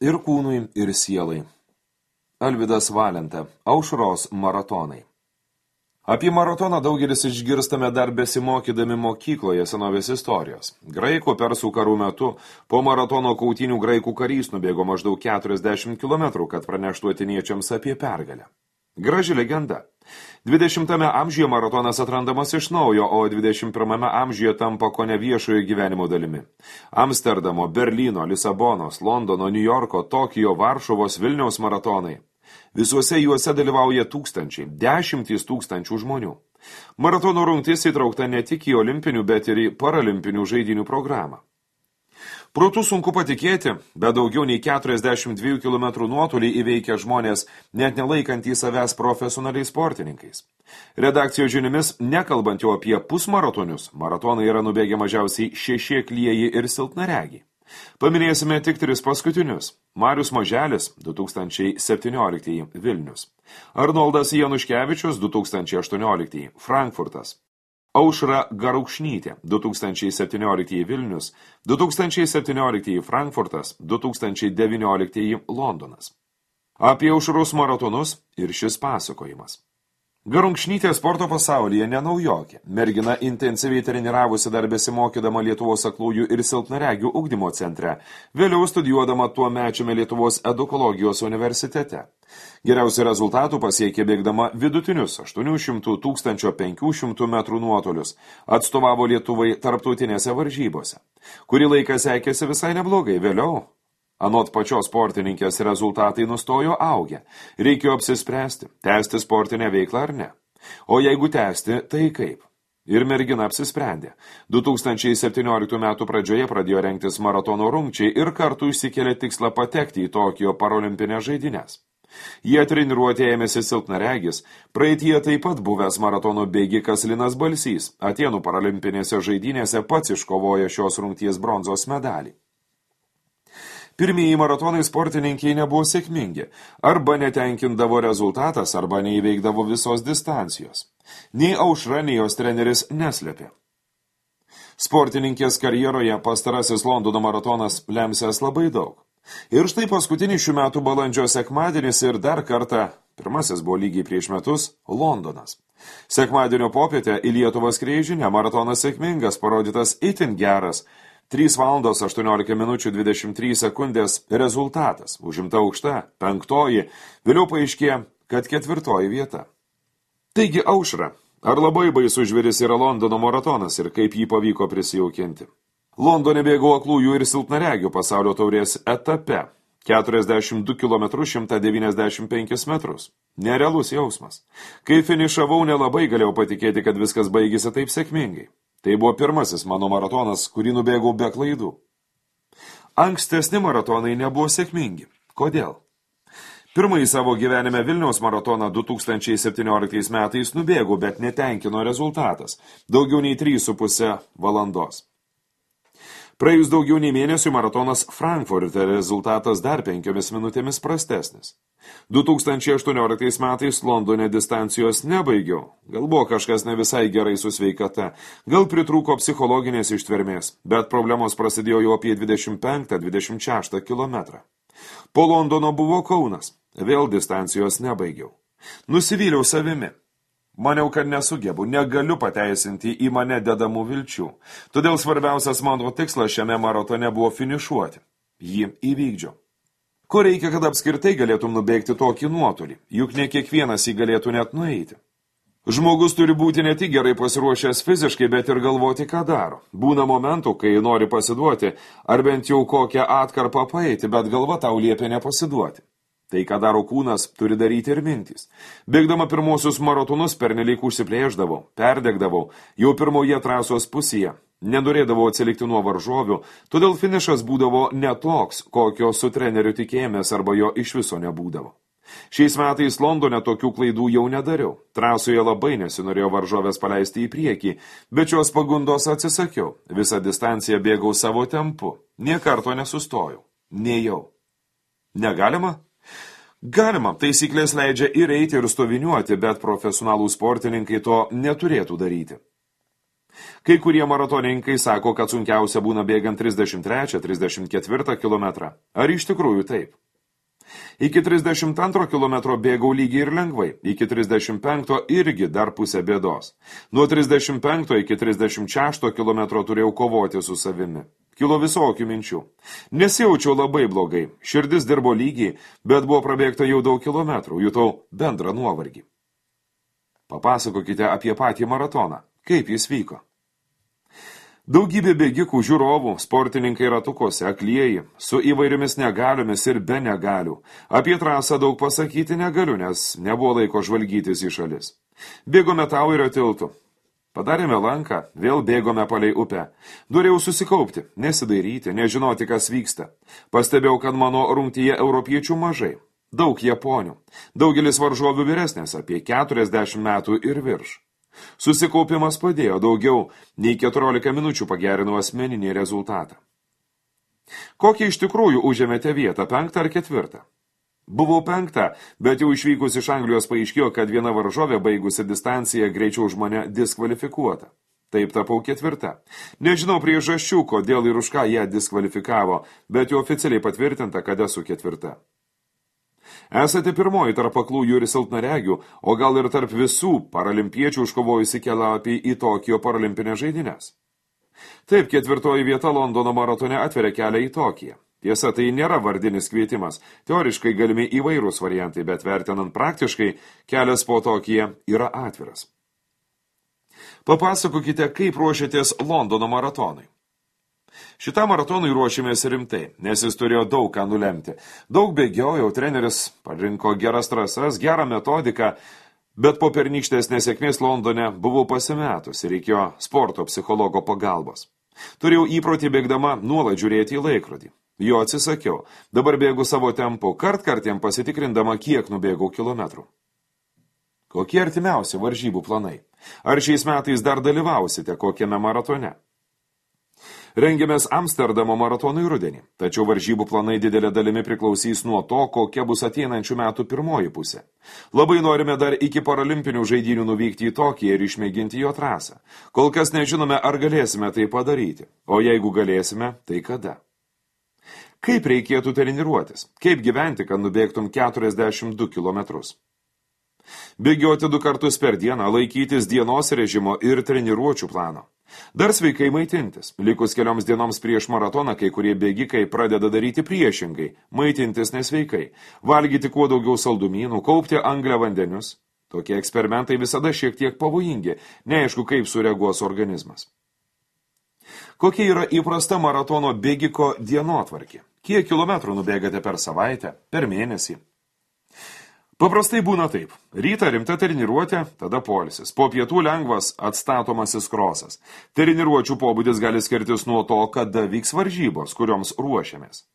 ir kūnui, ir sielai. Alvydas Valenta, Aušros maratonai. Apie maratoną daugelis išgirstame dar besimokydami mokykloje senovės istorijos. Graikų persų karų metu po maratono kautynių graikų karys nubėgo maždaug 40 km, kad praneštų atėniečiams apie pergalę. Graži legenda. 20 amžiuje maratonas atrandamas iš naujo, o 21 amžiuje tampa kone viešojo gyvenimo dalimi. Amsterdamo, Berlyno, Lisabonos, Londono, Niujorko, Tokijo, Varšuvos, Vilniaus maratonai. Visuose juose dalyvauja tūkstančiai, 10 tūkstančių žmonių. Maratono rungtis įtraukta ne tik į olimpinių, bet ir į paralimpinių žaidynių programą. Protu sunku patikėti, bet daugiau nei 42 km nuotolį įveikia žmonės, net nelaikantys savęs profesionaliais sportininkais. Redakcijos žiniomis, nekalbant jau apie pusmaratonius, maratonai yra nubėgę mažiausiai 6 aklieji ir silpnaregiai. Paminėsime tik 3 paskutinius. Marius Maželis, 2017 Vilnius. Arnoldas Januškevičius, 2018 Frankfurtas. Aušra Garukšnytė, 2017 Vilnius, 2017 Frankfurtas, 2019 Londonas. Apie Aušros maratonus ir šis pasakojimas. Garukšnytė sporto pasaulyje nenaujokė. Mergina intensyviai treniravosi dar besimokydama Lietuvos aklųjų ir silpnaregių ugdymo centre, vėliau studijuodama tuomečiame Lietuvos edukologijos universitete. Geriausių rezultatų pasiekė bėgdama vidutinius 800–1500 metrų nuotolius, atstovavo Lietuvai tarptautinėse varžybose. Kurį laiką sekėsi visai neblogai, vėliau. Anot pačios sportininkės rezultatai nustojo augę. Reikėjo apsispręsti, tęsti sportinę veiklą ar ne. O jeigu tęsti, tai kaip? Ir mergina apsisprendė. 2017 metų pradžioje pradėjo rengtis maratono rungčiai ir kartu išsikėlė tikslą patekti į Tokijo parolimpinės žaidynės. Jie treniruotė ėmėsi silpnaregis, praeityje taip pat buvęs maratono bėgikas Linas Balsys, Atėnų paralimpinėse žaidynėse pats iškovojo šios rungties bronzos medalį. Pirmieji maratonai sportininkiai nebuvo sėkmingi, arba netenkindavo rezultatas, arba neįveikdavo visos distancijos. Nei Aušra, nei jos treneris neslėpė. Sportininkės karjeroje pastarasis Londono maratonas lemsias labai daug. Ir štai paskutinį šių metų balandžio sekmadienis ir dar kartą, pirmasis buvo lygiai prieš metus, Londonas. Sekmadienio popietę į Lietuvą skriejo žinia, maratonas sėkmingas, parodytas itin geras, 3 valandos 18 minučių 23 sekundės rezultatas, užimta aukšta, 5, vėliau paaiškėjo, kad 4 vieta. Taigi Aušra, ar labai baisus žvėris yra Londono maratonas ir kaip jį pavyko prisijaukinti? Londone bėgo aklųjų ir silpnaregių pasaulio taurės etape, 42 km 195 metrus. Nerealus jausmas. Kai finišavau, nelabai galėjau patikėti, kad viskas baigėsi taip sėkmingai. Tai buvo pirmasis mano maratonas, kurį nubėgau be klaidų. Ankstesni maratonai nebuvo sėkmingi. Kodėl? Pirmąjį savo gyvenime Vilniaus maratoną 2017 metais nubėgau, bet netenkino rezultatas. Daugiau nei 3,5 valandos. Praėjus daugiau nei mėnesių maratonas Frankfurte rezultatas dar 5 minutėmis prastesnis. 2018 metais Londone distancijos nebaigiau. Gal buvo kažkas ne visai gerai su sveikata, gal pritrūko psichologinės ištvermės, bet problemos prasidėjo jau apie 25–26 kilometrą. Po Londono buvo Kaunas, vėl distancijos nebaigiau. Nusivyliau savimi. Maniau, kad nesugebu, negaliu pateisinti į mane dedamų vilčių. Todėl svarbiausias mano tikslas šiame maratone buvo finišuoti. Jį įvykdžiau. Ko reikia, kad apskritai galėtum nubėgti tokį nuotolį? Juk ne kiekvienas jį galėtų net nueiti. Žmogus turi būti ne tik gerai pasiruošęs fiziškai, bet ir galvoti, ką daro. Būna momentų, kai nori pasiduoti, ar bent jau kokią atkarpą paeiti, bet galva tau liepia nepasiduoti. Tai, ką daro kūnas, turi daryti ir mintys. Bėgdama pirmosius maratonus pernelyg užsiplėždavau, perdegdavau, jau pirmoje trasos pusėje. Nenorėdavau atsilikti nuo varžovių, todėl finišas būdavo ne toks, kokio su treneriu tikėjomės arba jo iš viso nebūdavo. Šiais metais Londone tokių klaidų jau nedariau. Trasoje labai nesinorėjo varžovės paleisti į priekį, bet šios pagundos atsisakiau. Visą distanciją bėgau savo tempu. Nė karto nesustojau. Nejau. Negalima? Galima, taisyklės leidžia ir eiti ir stoviniuoti, bet profesionalų sportininkai to neturėtų daryti. Kai kurie maratonininkai sako, kad sunkiausia būna bėgant 33-34 kilometrą. Ar iš tikrųjų taip? Iki 32 kilometro bėgau lygiai ir lengvai, iki 35 irgi dar pusė bėdos. Nuo 35 iki 36 kilometro turėjau kovoti su savimi. Kilo visokių minčių. Nesijaučiau labai blogai, širdis dirbo lygiai, bet buvo prabėgta jau daug kilometrų, jutau bendrą nuovargį. Papasakokite apie patį maratoną. Kaip jis vyko? Daugybė bėgikų, žiūrovų, sportininkai ratukuose, aklieji, su įvairiomis negaliomis ir be negalių. Apie trasą daug pasakyti negaliu, nes nebuvo laiko žvalgytis į šalis. Bėgome Tauerio tiltu. Padarėme lanką, vėl bėgome palei upę. Norėjau susikaupti, nesidairyti, nežinoti, kas vyksta. Pastebėjau, kad mano rungtyje europiečių mažai. Daug japonių. Daugelis varžovių vyresnės, apie 40 metų ir virš. Susikaupimas padėjo, daugiau nei 14 minučių pagerinau asmeninį rezultatą. Kokią iš tikrųjų užėmėte vietą, 5 ar 4? Buvau 5, bet jau išvykus iš Anglijos paaiškėjo, kad viena varžovė baigusi distanciją greičiau už mane diskvalifikuota. Taip tapau 4. Nežinau priežasčių, kodėl ir už ką ją diskvalifikavo, bet jau oficialiai patvirtinta, kad esu 4. Esate pirmoji tarp aklųjų ir silpnaregių, o gal ir tarp visų paralimpiečių užkovojusi kelialapį į Tokijo paralimpinės žaidynės. Taip, 4 vieta Londono maratone atveria kelią į Tokiją. Tiesa, tai nėra vardinis kvietimas. Teoriškai galimi įvairūs variantai, bet vertinant praktiškai, kelias po Tokiją yra atviras. Papasakokite, kaip ruošiatės Londono maratonui. Šitam maratonui ruošėmės rimtai, nes jis turėjo daug ką nulemti. Daug bėgiojau, treneris parinko geras trasas, gerą metodiką, bet po pernykštės nesėkmės Londone buvau pasimetus ir reikėjo sporto psichologo pagalbos. Turėjau įprotį bėgdama nuolat žiūrėti į laikrodį. Jo atsisakiau. Dabar bėgu savo tempu, kartkartiem pasitikrindama, kiek nubėgau kilometrų. Kokie artimiausi varžybų planai? Ar šiais metais dar dalyvausite kokiame maratone? Rengiamės Amsterdamo maratonui rudenį, tačiau varžybų planai didelė dalimi priklausys nuo to, kokia bus ateinančių metų pirmoji pusė. Labai norime dar iki paralimpinių žaidynių nuvykti į Tokiją ir išmėginti jo trasą. Kol kas nežinome, ar galėsime tai padaryti, o jeigu galėsime, tai kada. Kaip reikėtų treniruotis? Kaip gyventi, kad nubėgtum 42 kilometrus? Bėgioti 2 kartus per dieną, laikytis dienos režimo ir treniruočių plano. Dar sveikai maitintis. Likus kelioms dienoms prieš maratoną, kai kurie bėgikai pradeda daryti priešingai, maitintis nesveikai, valgyti kuo daugiau saldumynų, kaupti angliavandenius. Tokie eksperimentai visada šiek tiek pavojingi, neaišku, kaip sureaguos organizmas. Kokia yra įprasta maratono bėgiko dienotvarkė? Kiek kilometrų nubėgate per savaitę, per mėnesį? Paprastai būna taip. Rytą rimta treniruotė, tada poilsis. Po pietų lengvas atstatomasis krosas. Treniruočių pobūdis gali skirtis nuo to, kada vyks varžybos, kurioms ruošiamės.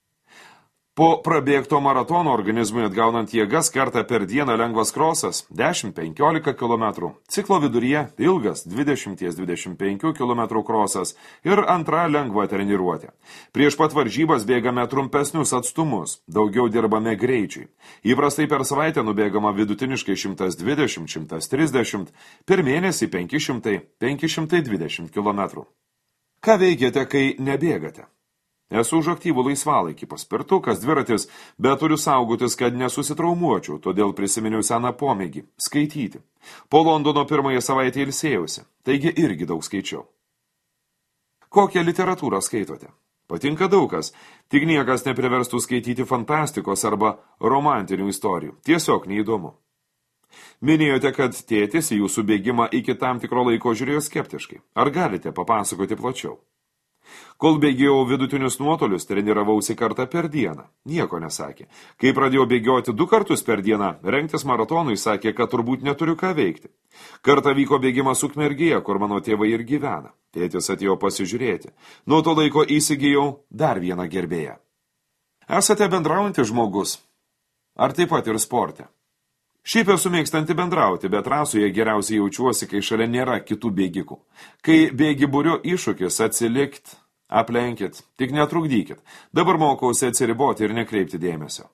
Po prabėgto maratono organizmui atgaunant jėgas kartą per dieną lengvas krosas 10-15 km, ciklo viduryje ilgas 20-25 km krosas ir antra lengva treniruotė. Prieš pat varžybas bėgame trumpesnius atstumus, daugiau dirbame greičiui. Įprastai per savaitę nubėgama vidutiniškai 120-130, per mėnesį 500-520 km. Ką veikiate, kai nebėgate? Esu už aktyvų laisvalaikį, paspirtukas, dviratis, bet turiu saugotis, kad nesusitraumuočiau, todėl prisiminiau seną pomėgį – skaityti. Po Londono pirmąją savaitę ilsėjausi, taigi irgi daug skaičiau. Kokią literatūrą skaitote? Patinka daug kas, tik niekas nepriverstų skaityti fantastikos arba romantinių istorijų, tiesiog neįdomu. Minėjote, kad tėtis į jūsų bėgimą iki tam tikro laiko žiūrėjo skeptiškai. Ar galite papasakoti plačiau? Kol bėgėjau vidutinius nuotolius, treniravausi kartą per dieną. Nieko nesakė. Kai pradėjau bėgioti 2 kartus per dieną, rengtis maratonui sakė, kad turbūt neturiu ką veikti. Kartą vyko bėgimas Ukmergėje, kur mano tėvai ir gyvena. Tėtis atėjo pasižiūrėti. Nuo to laiko įsigijau dar vieną gerbėją. Esate bendraujantis žmogus? Ar taip pat ir sporte? Šiaip esu mėgstanti bendrauti, bet trasoje geriausiai jaučiuosi, kai šalia nėra kitų bėgikų. Kai bėgi būrio iššūkis, atsilikt, aplenkit, tik netrukdykit. Dabar mokausi atsiriboti ir nekreipti dėmesio.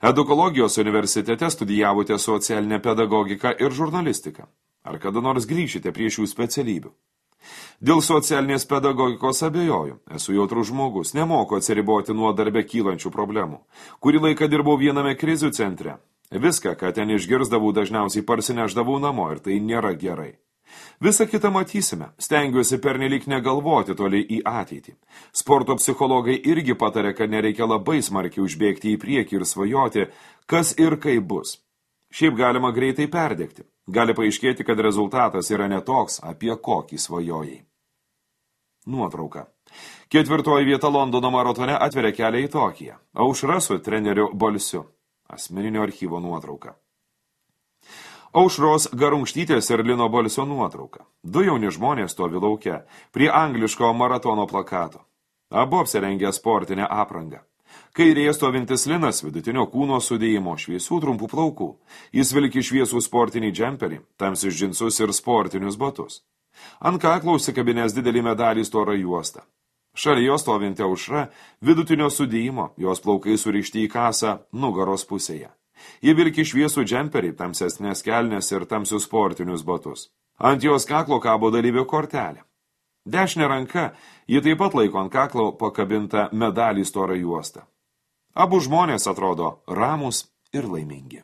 Edukologijos universitete studijavote socialinę pedagogiką ir žurnalistiką. Ar kada nors grįšite prie šių specialybių? Dėl socialinės pedagogikos abejoju. Esu jautrus žmogus, nemoku atsiriboti nuo darbe kylančių problemų. Kurį laiką dirbau viename krizių centre. Viską, ką ten išgirsdavau, dažniausiai parsineždavau namo ir tai nėra gerai. Visą kitą matysime. Stengiuosi pernelyg negalvoti toliai į ateitį. Sporto psichologai irgi patarė, kad nereikia labai smarkiai užbėgti į priekį ir svajoti, kas ir kaip bus. Šiaip galima greitai perdegti. Gali paaiškėti, kad rezultatas yra netoks, apie kokį svajojai. Nuotrauka. 4. vieta Londono maratone atveria kelią į Tokiją. Aušra su treneriu Balsiu. Asmeninio archyvo nuotrauka. Aušros Garungštytės ir Lino Balsio nuotrauka. 2 jauni žmonės stovi lauke, prie angliško maratono plakato. Abu apsirengę sportinę aprangą. Kairėje stovintis Linas vidutinio kūno sudėjimo, šviesių trumpų plaukų. Jis vilki šviesų sportinį džemperį, tamsius džinsus ir sportinius batus. Ant kaklo užsikabinęs didelį medalį storą juostą. Šalia jo stovinti Aušra vidutinio sudėjimo, jos plaukai surišti į kasą nugaros pusėje. Ji vilki šviesų džemperį, tamsesnės kelnes ir tamsius sportinius batus. Ant jos kaklo kabo dalyvio kortelė. Dešinė ranka, ji taip pat laiko ant kaklo pakabintą medalį storą juostą. Abu žmonės atrodo ramūs ir laimingi.